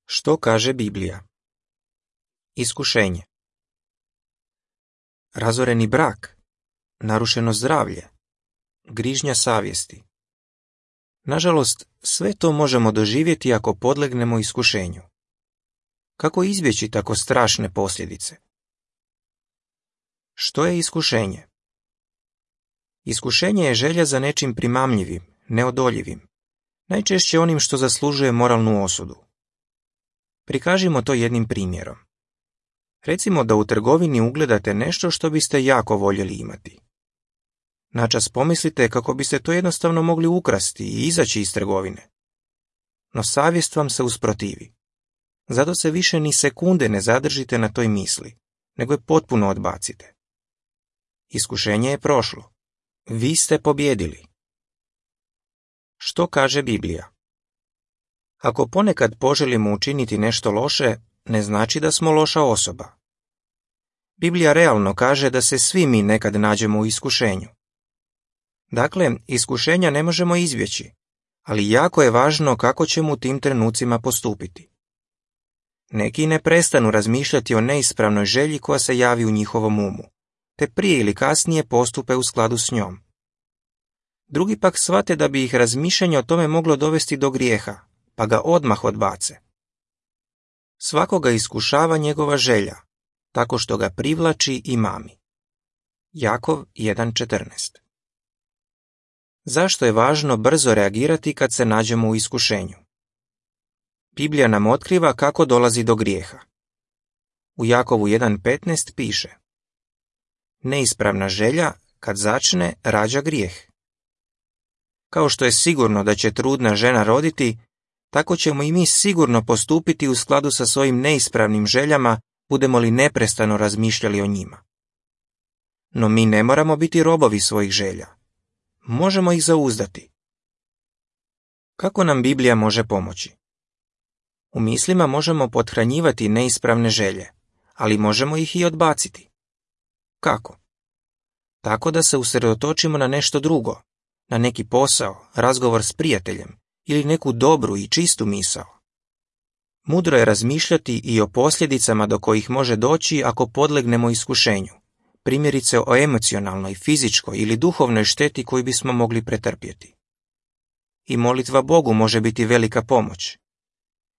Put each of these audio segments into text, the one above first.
Što kaže Biblija? Iskušenje. Razoreni brak, narušeno zdravlje, grižnja savjesti. Nažalost, sve to možemo doživjeti ako podlegnemo iskušenju. Kako izbjeći tako strašne posljedice? Što je iskušenje? Iskušenje je želja za nečim primamljivim, neodoljivim, najčešće onim što zaslužuje moralnu osudu. Prikažimo to jednim primjerom. Recimo da u trgovini ugledate nešto što biste jako voljeli imati. Načas pomislite kako biste to jednostavno mogli ukrasti i izaći iz trgovine. No savjest vam se usprotivi. Zato se više ni sekunde ne zadržite na toj misli, nego je potpuno odbacite. Iskušenje je prošlo. Vi ste pobjedili. Što kaže Biblija? Ako ponekad poželimo učiniti nešto loše, ne znači da smo loša osoba. Biblija realno kaže da se svi mi nekad nađemo u iskušenju. Dakle, iskušenja ne možemo izbjeći, ali jako je važno kako ćemo u tim trenucima postupiti. Neki ne prestanu razmišljati o neispravnoj želji koja se javi u njihovom umu, te prije ili kasnije postupe u skladu s njom. Drugi pak shvate da bi ih razmišljanje o tome moglo dovesti do grijeha, pa ga odmah odbace. Svakoga iskušava njegova želja, tako što ga privlači i mami. Jakov 1.14. Zašto je važno brzo reagirati kad se nađemo u iskušenju? Biblija nam otkriva kako dolazi do grijeha. U Jakovu 1.15 piše: neispravna želja, kad začne, rađa grijeh. Kao što je sigurno da će trudna žena roditi, tako ćemo i mi sigurno postupiti u skladu sa svojim neispravnim željama, budemo li neprestano razmišljali o njima. No mi ne moramo biti robovi svojih želja. Možemo ih zauzdati. Kako nam Biblija može pomoći? U mislima možemo pothranjivati neispravne želje, ali možemo ih i odbaciti. Kako? Tako da se usredotočimo na nešto drugo, na neki posao, razgovor s prijateljem ili neku dobru i čistu misao. Mudro je razmišljati i o posljedicama do kojih može doći ako podlegnemo iskušenju, primjerice o emocionalnoj, fizičkoj ili duhovnoj šteti koju bismo mogli pretrpjeti. I molitva Bogu može biti velika pomoć.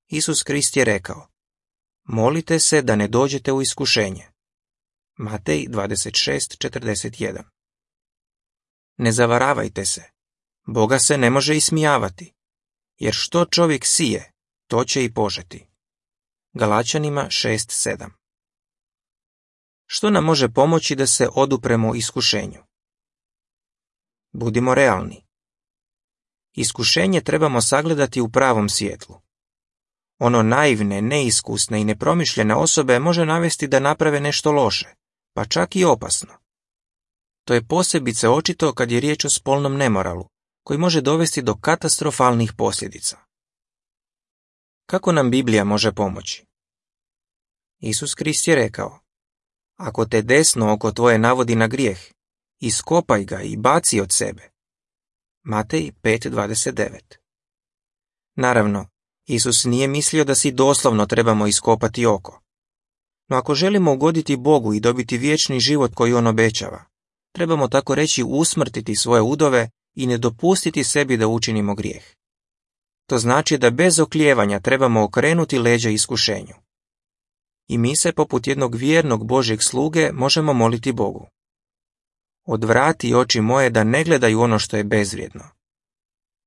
Isus Krist je rekao: molite se da ne dođete u iskušenje. Matej 26.41. Ne zavaravajte se. Boga se ne može ismijavati, jer što čovjek sije, to će i požeti. Galačanima 6.7. Što nam može pomoći da se odupremo iskušenju? Budimo realni. Iskušenje trebamo sagledati u pravom svjetlu. Ono naivne, neiskusne i nepromišljene osobe može navesti da naprave nešto loše, pa čak i opasno. To je posebice očito kad je riječ o spolnom nemoralu, koji može dovesti do katastrofalnih posljedica. Kako nam Biblija može pomoći? Isus Krist je rekao: ako te desno oko tvoje navodi na grijeh, iskopaj ga i baci od sebe. Matej 5.29. Naravno, Isus nije mislio da si doslovno trebamo iskopati oko. No ako želimo ugoditi Bogu i dobiti vječni život koji on obećava, trebamo tako reći usmrtiti svoje udove i ne dopustiti sebi da učinimo grijeh. To znači da bez oklijevanja trebamo okrenuti leđa iskušenju. I mi se poput jednog vjernog Božjeg sluge možemo moliti Bogu: odvrati oči moje da ne gledaju ono što je bezvrijedno.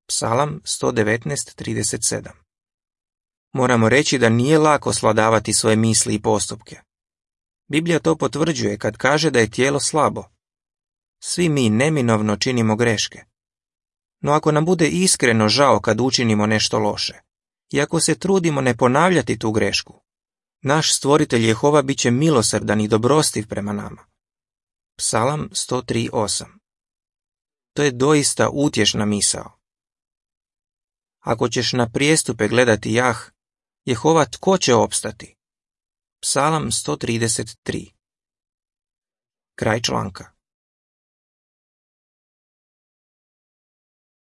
Psalam 119.37. Moramo reći da nije lako svladavati svoje misli i postupke. Biblija to potvrđuje kad kaže da je tijelo slabo. Svi mi neminovno činimo greške. No ako nam bude iskreno žao kad učinimo nešto loše, i ako se trudimo ne ponavljati tu grešku, naš stvoritelj Jehova bit će milosrdan i dobrostiv prema nama. Psalam 103.8. To je doista utješna misao. Ako ćeš na prijestupe gledati jah, Jehova tko će opstati? Psalam 133. Kraj članka.